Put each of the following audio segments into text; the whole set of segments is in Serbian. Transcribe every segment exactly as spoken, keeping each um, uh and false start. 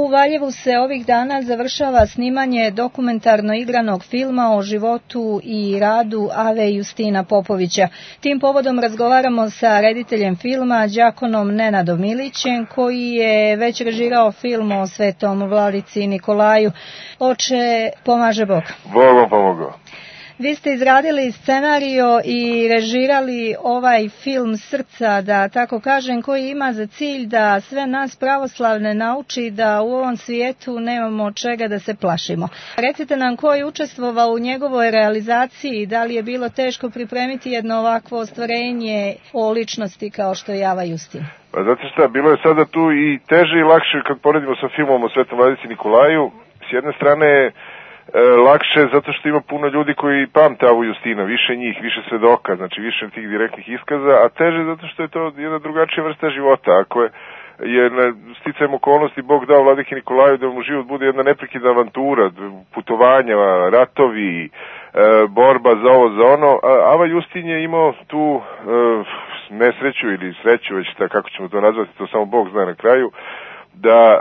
U Valjevu se ovih dana završava snimanje dokumentarno igranog filma o životu i radu Ave Justina Popovića. Tim povodom razgovaramo sa rediteljem filma, đakonom Nenadom Milićem, koji je već režirao film o svetom vladici Nikolaju. Oče, pomaže Bog. Bog vam pomogao. Vi ste izradili scenario i režirali ovaj film Srca, da tako kažem, koji ima za cilj da sve nas pravoslavne nauči da u ovom svijetu nemamo čega da se plašimo. Recite nam ko je učestvovao u njegovoj realizaciji, da li je bilo teško pripremiti jedno ovakvo ostvarenje o ličnosti kao što je Ava Justin? Pa znate šta, bilo je sada tu i teže i lakše kad poredimo sa filmom o svetom vladici Nikolaju. S jedne strane E, lakše zato što ima puno ljudi koji pamte Avu Justina, više njih, više svedoka, znači više tih direktnih iskaza, a teže zato što je to jedna drugačija vrsta života. Ako je, je na sticajem okolnosti Bog dao vladiki Nikolaju da mu život bude jedna neprekidna avantura, putovanja, ratovi, e, borba za ovo, za ono, a Ava Justin je imao tu e, nesreću ili sreću, već tako kako ćemo to nazvati, to samo Bog zna na kraju, da e,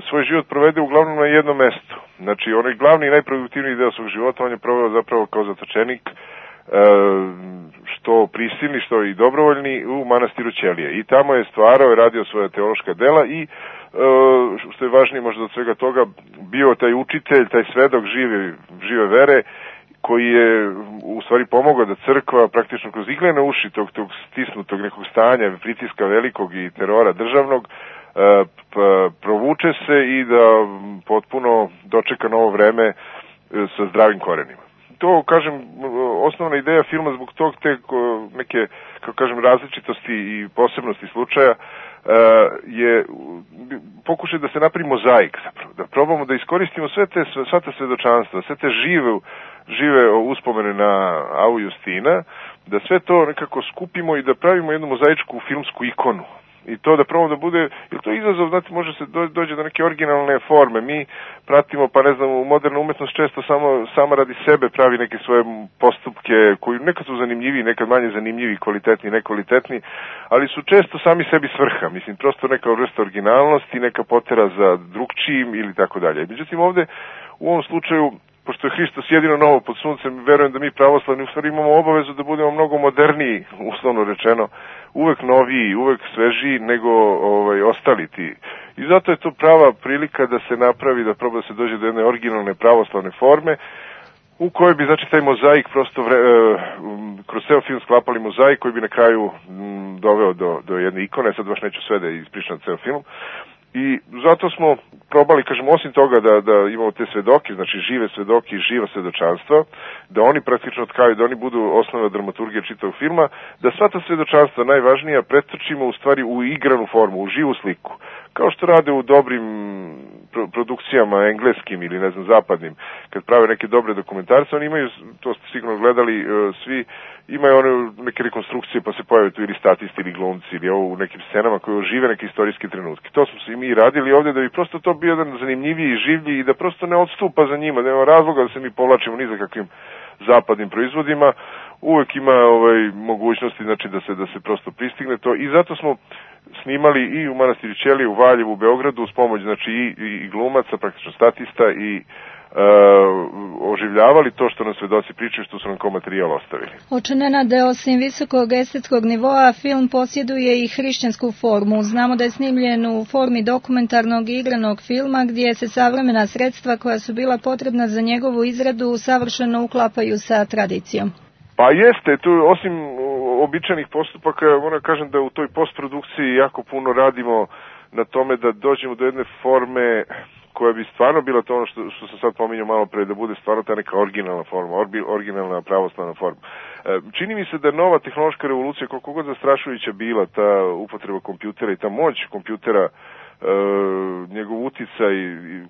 svoj život provede uglavnom na jednom mestu. Znači, onaj glavni i najproduktivniji deo svog života on je proveo zapravo kao zatočenik, e, što prisilni, što i dobrovoljni, u manastiru Ćelije. I tamo je stvarao i radio svoja teološka dela i, e, što je važnije možda od svega toga, bio taj učitelj, taj svedok žive, žive vere, koji je u stvari pomogao da crkva praktično kroz iglene uši tog, tog stisnutog nekog stanja, pritiska velikog i terora državnog, provuče se i da potpuno dočeka novo vreme sa zdravim korenima. To, kažem, osnovna ideja filma zbog tog te neke, kako kažem, različitosti i posebnosti slučaja je pokušaj da se napravi mozaik, zapravo, da probamo da iskoristimo sve te, sva te svedočanstva, sve te žive, žive uspomene na Avu Justina, da sve to nekako skupimo i da pravimo jednu mozaičku filmsku ikonu. I to da probamo da bude, jer to je izazov, znate, može se dođe do neke originalne forme. Mi pratimo, pa ne znam, u modernu umetnost često samo, sama radi sebe pravi neke svoje postupke koji nekad su zanimljivi, nekad manje zanimljivi, kvalitetni, nekvalitetni, ali su često sami sebi svrha. Mislim, prosto neka vrsta originalnosti, neka potera za drugčijim ili tako dalje. Međutim, ovde, u ovom slučaju, pošto je Hristos jedino novo pod suncem, verujem da mi pravoslavni u stvari imamo obavezu da budemo mnogo moderniji, uslovno rečeno, uvek noviji, uvek svežiji nego ovaj, ostali ti. I zato je to prava prilika da se napravi, da proba da se dođe do jedne originalne pravoslavne forme, u kojoj bi, znači, taj mozaik prosto vre, e, kroz ceo film sklapali mozaik koji bi na kraju m, doveo do, do jedne ikone. Sad baš neću sve da ispričam ceo film. I zato smo probali, kažem, osim toga da, da imamo te svedoke, znači žive svedoke i živa svedočanstva, da oni praktično tkaju, da oni budu osnova dramaturgije čitavog filma, da sva ta svedočanstva najvažnija pretrčimo u stvari u igranu formu, u živu sliku. Kao što rade u dobrim pro- produkcijama engleskim ili ne znam zapadnim, kad prave neke dobre dokumentarce, oni imaju, to ste sigurno gledali, uh, svi imaju one neke rekonstrukcije pa se pojave tu ili statisti ili glumci ili ovo u nekim scenama koje ožive neke istorijske trenutke. To smo se i mi radili ovde da bi prosto to bio jedan zanimljiviji i življi i da prosto ne odstupa za njima, da nema razloga da se mi povlačimo ni za kakvim zapadnim proizvodima. Uvek ima ovaj mogućnosti, znači, da se da se prosto pristigne to i zato smo snimali i u manastiru Ćelije, u Valjevu, u Beogradu uz pomoć, znači, i, i, i glumaca, praktično statista i Uh, oživljavali to što nam svedoci pričaju, što su nam kao materijal ostavili. Oče Nenade, osim visokog estetskog nivoa, film posjeduje i hrišćansku formu. Znamo da je snimljen u formi dokumentarnog i igranog filma gdje se savremena sredstva koja su bila potrebna za njegovu izradu savršeno uklapaju sa tradicijom. Pa jeste, tu osim običajnih postupaka, moram kažem da u toj postprodukciji jako puno radimo na tome da dođemo do jedne forme koja bi stvarno bila to ono što, što sam sad pominjao malo pre, da bude stvarno ta neka originalna forma, orbi, originalna pravoslavna forma. E, čini mi se da nova tehnološka revolucija, koliko god zastrašujuća bila ta upotreba kompjutera i ta moć kompjutera, e, njegov uticaj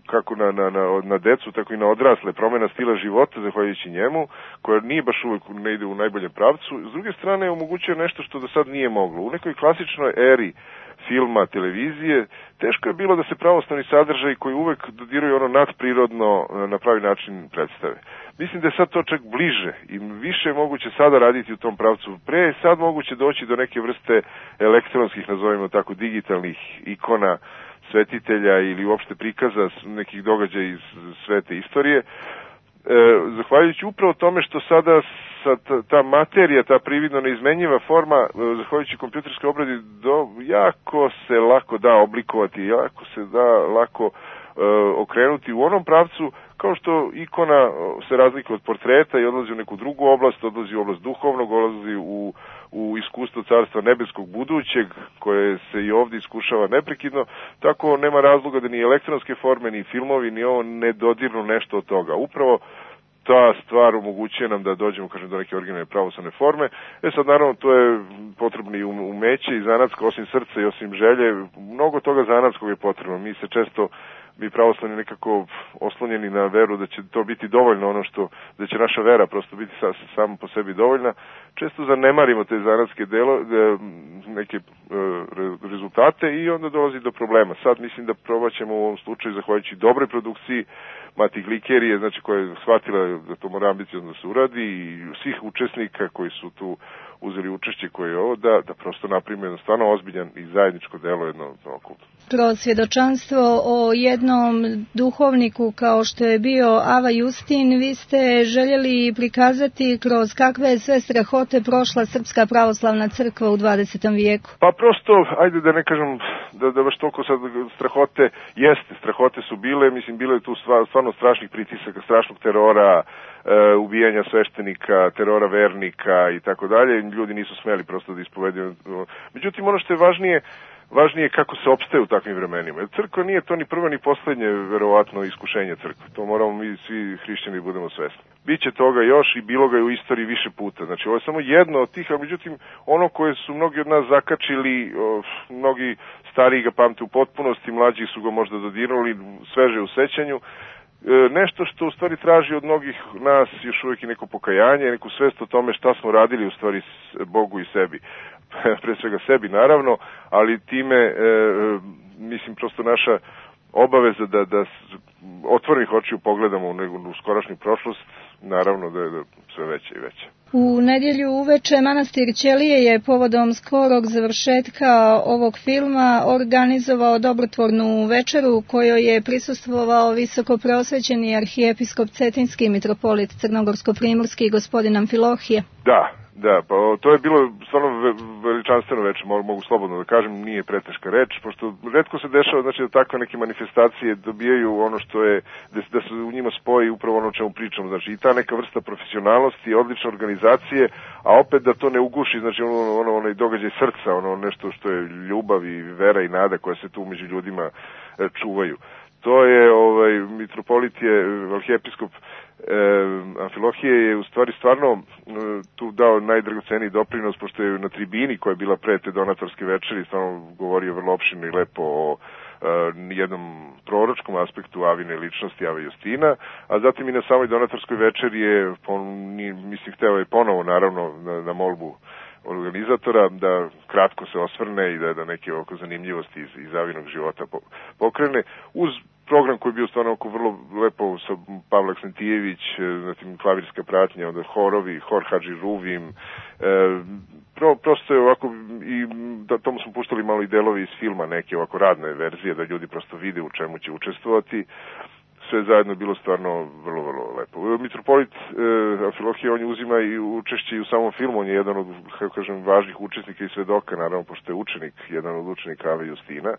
kako na, na, na, na decu, tako i na odrasle, promjena stila života zahvaljujući njemu, koja nije baš uvek ne ide u najboljem pravcu, s druge strane omogućuje nešto što do sad nije moglo. U nekoj klasičnoj eri filma, televizije, teško je bilo da se pravoslavni sadržaj koji uvek dodiraju ono nadprirodno na pravi način predstave. Mislim da je sad to čak bliže i više je moguće sada raditi u tom pravcu. Pre je sad moguće doći do neke vrste elektronskih, nazovimo tako, digitalnih ikona svetitelja ili uopšte prikaza nekih događaja iz svete istorije. E, zahvaljujući upravo tome što sada sa ta, ta materija, ta prividno neizmenjiva forma, zahvaljujući kompjuterskoj obradi, do, jako se lako da oblikovati, jako se da lako e, okrenuti u onom pravcu, kao što ikona se razlikuje od portreta i odlazi u neku drugu oblast, odlazi u oblast duhovnog, odlazi u, u iskustvo carstva nebeskog budućeg, koje se i ovdje iskušava neprekidno, tako nema razloga da ni elektronske forme, ni filmovi, ni ovo ne dodirnu nešto od toga. Upravo ta stvar omogućuje nam da dođemo, kažem, do neke originalne pravoslavne forme. E sad, naravno, to je potrebno i umeće i zanatsko, osim srca i osim želje, mnogo toga zanatskog je potrebno. Mi se često, mi pravoslavni nekako oslonjeni na veru da će to biti dovoljno, ono što, da će naša vera prosto biti sa, samo po sebi dovoljna. Često zanemarimo te zanatske delo, neke e, rezultate i onda dolazi do problema. Sad mislim da probat ćemo u ovom slučaju, zahvaljujući dobroj produkciji Mati Glikerije, znači koja je shvatila da to mora ambiciozno da se uradi, i svih učesnika koji su tu uzeli učešće koje je ovo, da, da prosto napravimo jedno stvarno ozbiljan i zajedničko delo, jedno okultno. Kroz svjedočanstvo o jednom duhovniku kao što je bio Ava Justin, vi ste željeli prikazati kroz kakve sve strahote prošla Srpska pravoslavna crkva u dvadesetom vijeku. Pa prosto, ajde da ne kažem da, da baš toliko sad strahote, jeste, strahote su bile, mislim, bilo je tu stvarno strašnih pritisaka, strašnog terora, e, ubijanja sveštenika, terora vernika i tako dalje, ljudi nisu smeli prosto da ispoveduju. Međutim, ono što je važnije, važnije je kako se opstaje u takvim vremenima. Jer crkva nije to ni prvo ni poslednje, verovatno, iskušenje crkve. To moramo mi svi hrišćani budemo svesni. Biće toga još i bilo ga je u istoriji više puta. Znači, ovo je samo jedno od tih, a međutim, ono koje su mnogi od nas zakačili, o, mnogi stariji ga pamte u potpunosti, mlađi su ga možda dodirnuli, sveže u sećanju, nešto što u stvari traži od mnogih nas još uvijek i neko pokajanje, neku svest o tome šta smo radili u stvari Bogu i sebi. Pre svega sebi, naravno, ali time, e, mislim, prosto naša obaveza da, da otvorenih očiju pogledamo u, u skorašnju prošlost, naravno da je da sve veće i veće. U nedjelju uveče Manastir Ćelije je povodom skorog završetka ovog filma organizovao dobrotvornu večeru u kojoj je prisustvovao visoko preosvećeni arhijepiskop Cetinski mitropolit Crnogorsko-primorski gospodin Amfilohije. Da, da, pa to je bilo stvarno veličanstveno večer, mogu slobodno da kažem, nije preteška reč, pošto retko se dešava, znači, da takve neke manifestacije dobijaju ono što je, da, da se u njima spoji upravo ono o čemu pričamo, znači i ta neka vrsta profesionalnosti, odlične organizacije, a opet da to ne uguši, znači ono, ono, onaj događaj srca, ono nešto što je ljubav i vera i nada koja se tu među ljudima e, čuvaju. To je, ovaj, mitropolit je, arhijepiskop E, Amfilohije je u stvari stvarno e, tu dao najdragoceniji doprinos, pošto je na tribini koja je bila pre te donatorske večeri stvarno govorio vrlo opširno i lepo o e, jednom proročkom aspektu Avine ličnosti, Ave Justina, a zatim i na samoj donatorskoj večeri je, pon, mislim, hteo je ponovo naravno na, na molbu organizatora da kratko se osvrne i da, da neke oko zanimljivosti iz, iz Avinog života pokrene, uz program koji je bio stvarno oko vrlo lepo sa Pavle Aksentijević, zatim klavirska pratnja, onda horovi, hor Hadži Ruvim, e, pro, prosto je ovako, i da, tomu smo puštali malo i delovi iz filma, neke ovako radne verzije, da ljudi prosto vide u čemu će učestvovati. Sve zajedno je bilo stvarno vrlo, vrlo lepo. Mitropolit e, Amfilohije, on je uzima i učešće i u samom filmu, on je jedan od, kako kažem, važnih učesnika i svedoka, naravno, pošto je učenik, jedan od učenika Ave Justina,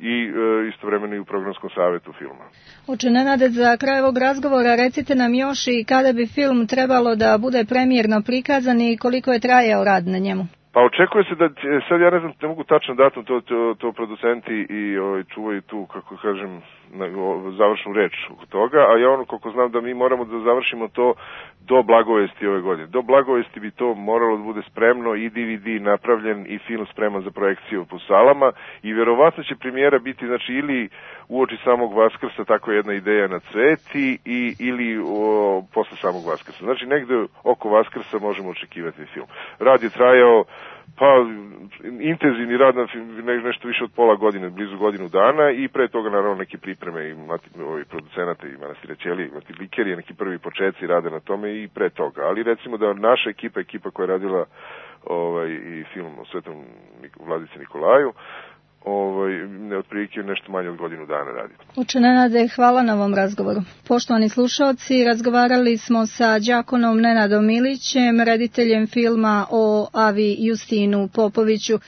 i e, istovremeno i u programskom savjetu filma. Oče Nenade, za kraj ovog razgovora recite nam još i kada bi film trebalo da bude premijerno prikazan i koliko je trajao rad na njemu? Pa očekuje se da, sad ja ne znam, ne mogu tačno datum, to, to, to producenti i ovaj, čuvaju tu, kako kažem, na, o, završnu reč od toga, a ja ono koliko znam da mi moramo da završimo to do Blagovesti ove godine. Do Blagovesti bi to moralo da bude spremno i D V D napravljen i film spreman za projekciju po salama i vjerovatno će premijera biti, znači, ili uoči samog Vaskrsa, tako je jedna ideja na Cveti, i, ili o, posle samog Vaskrsa. Znači negde oko Vaskrsa možemo očekivati film. Rad je trajao, pa intenzivni rad na nešto više od pola godine, blizu godinu dana, i pre toga naravno neke pripreme i ovi producenata i Manastira Ćelije, Mati Glikerije, neki prvi početci rade na tome i pre toga. Ali recimo da naša ekipa, ekipa koja je radila ovaj, i film o Svetom Vladici Nikolaju, ovaj, ne otprilike nešto manje od godinu dana radi. Uče Nenade, hvala na ovom razgovoru. Poštovani slušalci, razgovarali smo sa đakonom Nenadom Milićem, rediteljem filma o Avi Justinu Popoviću.